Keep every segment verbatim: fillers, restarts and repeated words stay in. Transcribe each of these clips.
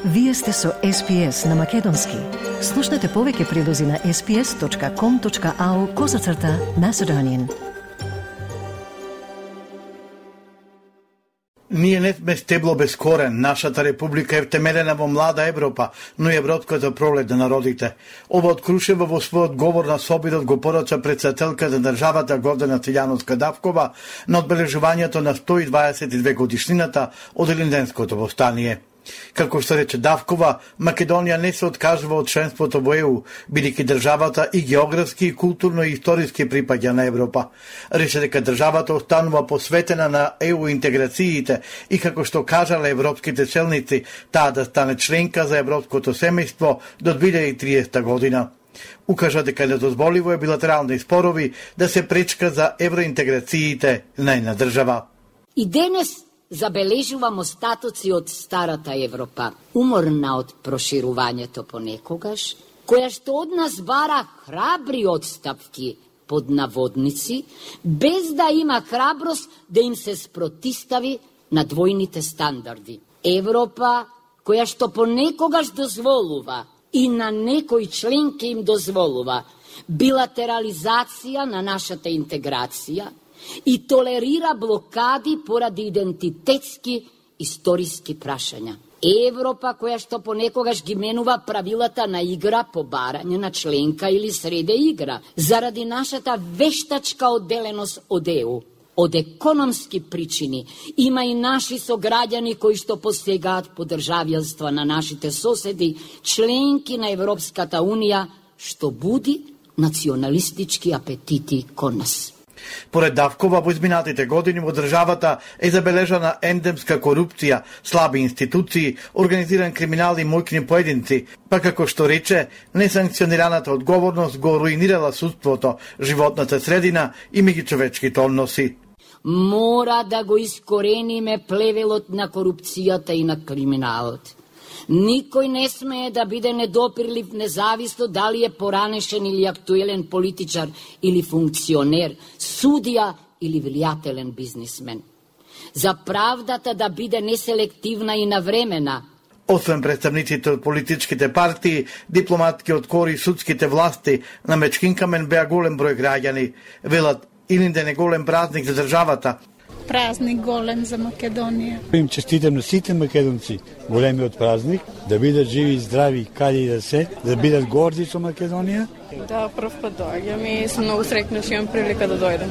Вие сте со Ес Пи Ес на Македонски. Слушнете повеќе прилози на ес пи ес точка ком точка ау козацрта Macedonian. Ние не сме стебло без корен. Нашата република е втемелена во млада Европа, но и европската пролет на народите. Ова од Крушево во својот говор на собирот го порача председателката на државата Гордана Цилјановска Давкова на одбележувањето на сто и дваесет и две годишнината од Илинденското востание. Како што рече Давкова, Македонија не се откажува од членството во Е У, бидејќи државата и географски, и културно и историски припаѓа на Европа. Рече дека државата останува посветена на Е У интеграциите и како што кажале европските челници, таа да стане членка за европското семејство до две илјади и триесета година. Укажа дека недозволиво е билатерални спорови да се пречка за евроинтеграциите на една држава. И денес забележуваме остатоци од старата Европа, уморна од проширувањето понекогаш, која што од нас бара храбри отстапки под наводници, без да има храброст да им се спротистави на двојните стандарди. Европа која што понекогаш дозволува и на некои членки им дозволува билатерализација на нашата интеграција, и толерира блокади поради идентитетски историски прашања. Европа која што понекогаш ги менува правилата на игра по барање на членка или среде игра, заради нашата вештачка одделеност од Е У. Од економски причини има и наши сограѓани кои што посегаат по државјанства на нашите соседи, членки на Европската Унија, што буди националистички апетити кон нас. Поред Давкова, во изминатите години во државата е забележана ендемска корупција, слаби институции, организиран криминал и мојкни поединци, па како што рече, несанкционираната одговорност го руинирала судството, животната средина и меѓучовечките односи. Мора да го искорениме плевелот на корупцијата и на криминалот. Никој не смее да биде недопирлив независно дали е поранешен или актуелен политичар или функционер, судија или влијателен бизнисмен. За правдата да биде неселективна и навремена. Освен представниците од политичките партии, дипломатки од кори судските власти, на Мечкинкамен беа голем број граѓани. Велат, Илинден е голем празник за државата. Празник голем за Македонија. Им честитам на сите македонци големиот празник, да бидат живи и здрави каде и да се, да бидат горди со Македонија. Да, прв пат доаѓам и сум многу среќна што имам прилика да дојдем.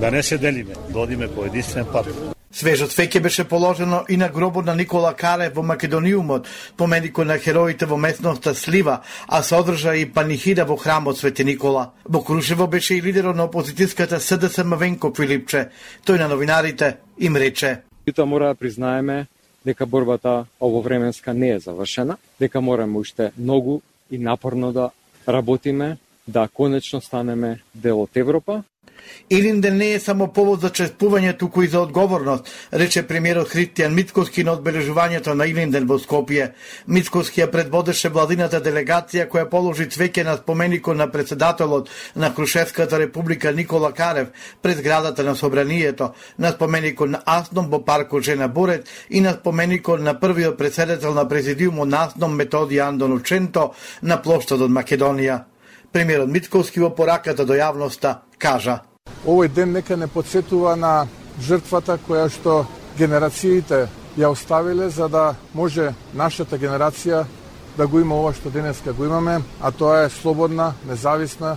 Да не се делиме, да одиме по единствен пат. Свежот феќе беше положено и на гробот на Никола Карев во Македониумот, поменикот на хероите во местноста Слива, а се одржа и панихида во храмот Свети Никола. Во Крушево беше и лидерот на опозицијската С Д С Мавенко Филипче. Тој на новинарите им рече: Јута мора да признаеме дека борбата ововременска не е завршена, дека мораме уште многу и напорно да работиме, да конечно станеме дел од Европа. Илинден не е само повод за чествување, туку и за одговорност, рече премиерот Христијан Мицкоски на одбележувањето на Илинден во Скопје. Мицкоски ја предводеше владината делегација која положи цвеќе на споменикот на председателот на Крушевската република Никола Карев пред зградата на Собранието, на споменикот на Асном во паркот Жена Борет и на споменикот на првиот председател на президиумот на Асном Методија Андон Ученто на плоштадот Македонија. Премиерот Мицкоски во пораката до јавноста кажа: Овој ден нека не подсетува на жртвата која што генерациите ја оставиле за да може нашата генерација да го има ова што денеска го имаме, а тоа е слободна, независна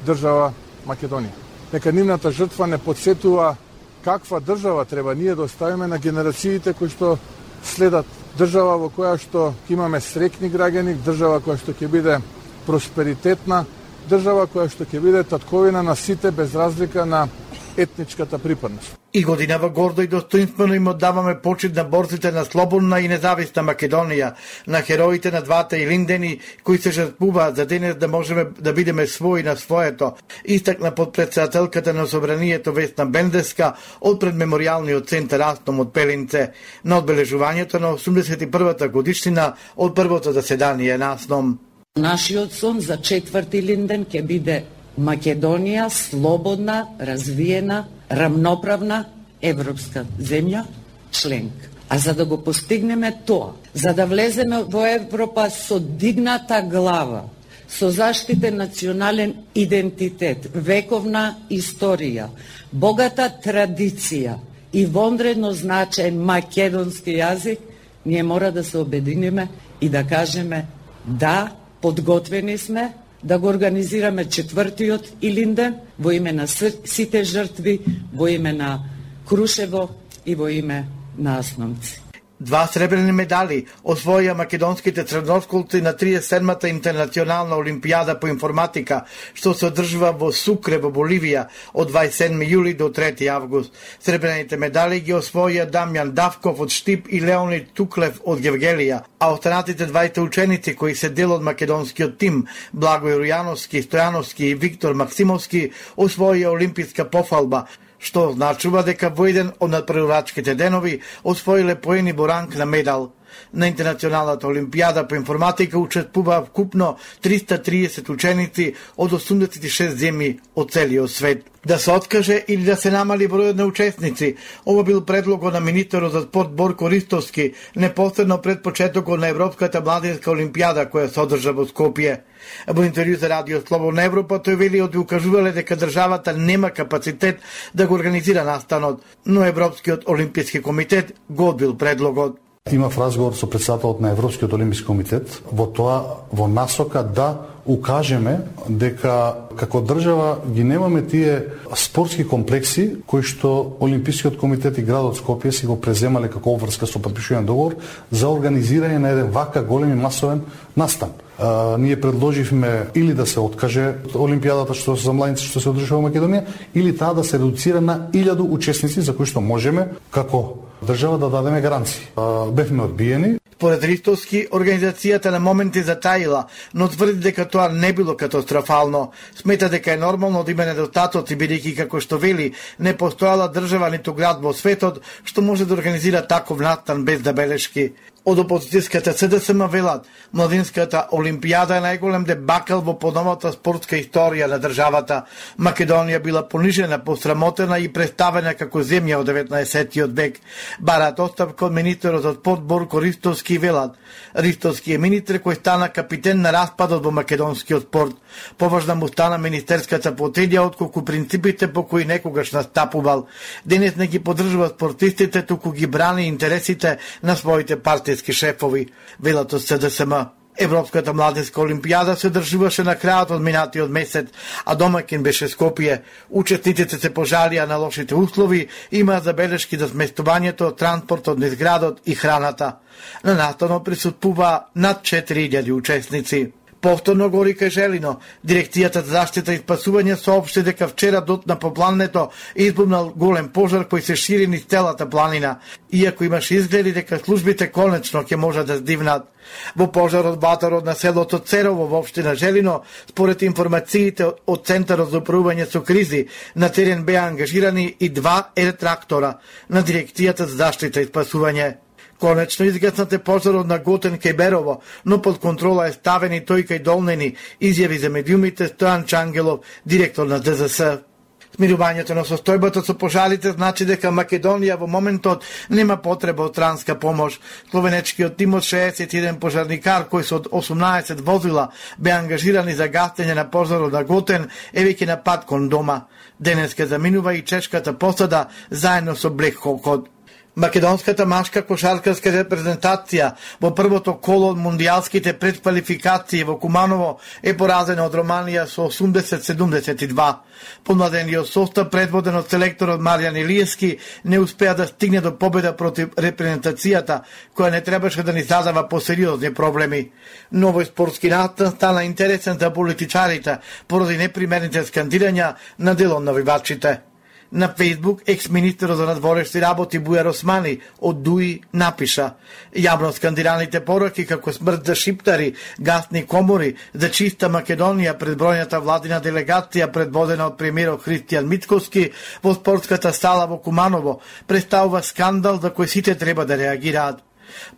држава Македонија. Нека нивната жртва не подсетува каква држава треба ние да оставиме на генерациите кои што следат, држава во која што имаме среќни граѓани, држава која што ќе биде просперитетна, држава која што ќе биде татковина на сите без разлика на етничката припадност. И годинава гордо и достоинствено им оддаваме почит на борците на слободна и независна Македонија, на хероите на двата Илиндени кои се жртвуваат за денес да можеме да бидеме своји на своето, истакна подпредседателката на Собранието Весна Бендеска од пред меморијалниот центар Асном од Пелинце на одбележувањето на осумдесет и првата годишнина од првото заседание на Асном. Нашиот сон за четврти Илинден ќе биде Македонија слободна, развиена, рамноправна европска земја, членка. А за да го постигнеме тоа, за да влеземе во Европа со дигната глава, со заштитен национален идентитет, вековна историја, богата традиција и вонредно значаен македонски јазик, ние мора да се обединиме и да кажеме да, подготвени сме да го организираме четвртиот Илинден во име на сите жртви, во име на Крушево и во име на Асномци. Два сребрени медали освоија македонските средношколци на триесет и седмата интернационална олимпијада по информатика, што се одржува во Сукре во Боливија од дваесет и седми јули до трети август. Сребрените медали ги освоија Дамјан Давков од Штип и Леонид Туклев од Гевгелија, а останатите двајте ученици кои се дел од македонскиот тим, Благој Рујановски, Стојановски и Виктор Максимовски, освоија олимписка пофалба, што значува дека во еден од надпреварачките денови освоиле поени во ранг на медал. На Интернационалната олимпијада по информатика учествуваа вкупно триста триесет ученици од осумдесет и шест земји од целиот свет. Да се откаже или да се намали бројот на учесници, ова бил предлогот на министерот за спорт Борко Ристовски непосредно пред почетокот на Европската младинска олимпијада која се одржа во Скопје. Во интервју за Радио Слободна Европа тој вели од укажувале дека државата нема капацитет да го организира настанот, но Европскиот олимписки комитет го одбил предлогот. Имав разговор со председателот на Европскиот олимписки комитет во тоа во насока да укажеме дека како држава ги немаме тие спортски комплекси кои што Олимпискиот комитет и градот Скопје си го преземале како обврска со потпишување договор за организирање на еден вака голем и масовен настан. А, ние предложивме или да се откаже Олимпијадата што за младинци што се одржува во Македонија, или таа да се редуцира на илјаду учесници за кои што можеме како држава да дадеме гаранции. А, бевме одбиени. Според Ристовски, организацијата на моменти затаила, но тврди дека тоа не било катастрофално. Смета дека е нормално да има недостатоци, бидејќи како што вели, не постојала држава ниту град во светот што може да организира таков настан без забелешки. Од опозицијската СДСМ велат, младинската олимпијада е најголем дебакал во поновата спортска историја на државата. Македонија била понижена, посрамотена и представена како земја од деветнаесеттиот век. Барат оставка од министерот за спорт Борко Ристовски и велат. Ристовски е министер кој стана капитен на распадот во македонскиот спорт. Поважна му стана министерската фотелја отколку принципите по кои некогаш настапувал. Денес не ги поддржува спортистите, туку ги брани интересите на своите партиски шефови, велат од СДСМ. Европската младинска олимпијада се одржуваше на крајот од минатиот месец, а домаќин беше Скопје. Учесниците се пожалија на лошите услови, има забелешки за сместувањето, транспортот низ градот и храната. На настанот присуствува над четири илјади учесници. Повторно гори кај Желино, Дирекцијата за заштита и спасување соопшти дека вчера дотна по планината избумнал голем пожар кој се шири низ целата планина, иако имаше изгледи дека службите конечно ќе можат да здивнат. Во пожарот батарот на селото Церово во општина Желино, според информациите од Центарот за управување со кризи, на терен беа ангажирани и два ер-трактора на Дирекцијата за заштита и спасување. Конечно изгаснате пожарот на Готен кај Берово, но под контрола е ставен и тој кај Долнени, изјави за медиумите Стојан Чангелов, директор на ДЗС. Смирувањето на состојбата со пожарите значи дека Македонија во моментот нема потреба од транска помош. Словенечкиот тим од шеесет и еден пожарникар кои со осумнаесет возила бе ангажирани за гасење на пожарот на Готен е веќе на пат кон дома. Денеска заминува и чешката посада заедно со Блек Хокот. Македонската машка кошаркарска репрезентација во првото коло од мундијалските предквалификации во Куманово е поразена од Романија со осумдесет седумдесет и два. Помладениот состав, предводен од селекторот Маријан Илиевски, не успеа да стигне до победа против репрезентацијата, која не требаше да ни задава посериозни проблеми. Новој спортски настан стана интересен за политичарите поради непримерените скандирања на дел од навивачите. На Фейсбук екс-министерот за надворешни работи Бујар Османи од ДУИ напиша: јавно скандираните пораки како смрт за шиптари, гасни комори, за чиста Македонија пред бројната владина делегација предводена од премиерот Христијан Мицковски во спортската сала во Куманово представува скандал за кој сите треба да реагираат.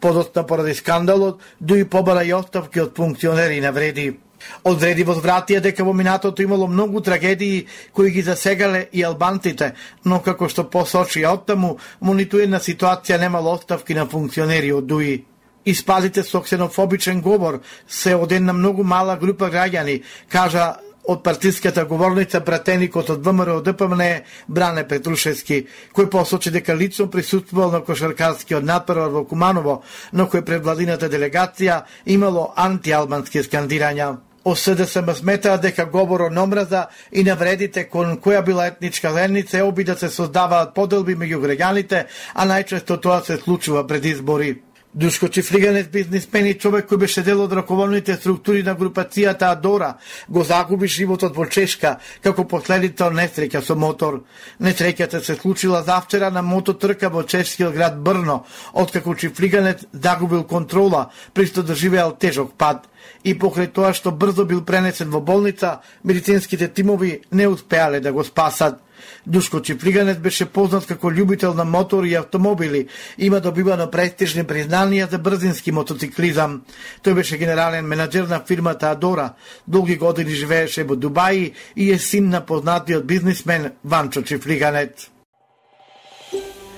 Подоцна поради скандалот, ДУИ побара и оставки од функционери на вреди. Одреди возвратија дека во минатото имало многу трагедии кои ги засегале и албанците, но како што посочи оттаму, во ниту една ситуација немало оставки на функционери од ДУИ. Испадите со ксенофобичен говор се од една многу мала група граѓани, кажа од партиската говорница пратеникот од ВМРО ДПМН Бране Петрушевски, кој посочи дека лично присуствувал на кошаркарскиот натпревар во Куманово, но кој пред владината делегација имало антиалбански скандирања. ОСДСМ сметаа дека говорот на омраза и навредите кон која била етничка заедница е оби да се создаваат поделби меѓу граѓаните, а најчесто тоа се случува пред избори. Душко Чифлиганец, бизнисмен и човек кој беше дел од раководните структури на групацијата Адора, го загуби животот во Чешка како последица од несреќа со мотор. Несреќата се случила завчера на мототрка во чешкиот град Брно, откако Чифлиганец загубил контрола, присто доживеал тежок пад. И покрај тоа што брзо бил пренесен во болница, медицинските тимови не успеале да го спасат. Душко Чифлиганец беше познат како љубител на мотори и автомобили, има добивано престижни признанија за брзински мотоциклизам. Тој беше генерален менаџер на фирмата Адора, долги години живееше во Дубаи и е син на познатиот бизнисмен Ванчо Чифлиганец.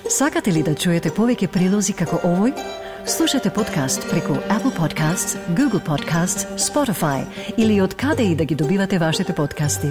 Сакате ли да чуете повеќе прилози како овој? Слушате подкаст преку Apple Podcasts, Google Podcasts, Spotify или од каде и да ги добивате вашите подкасти.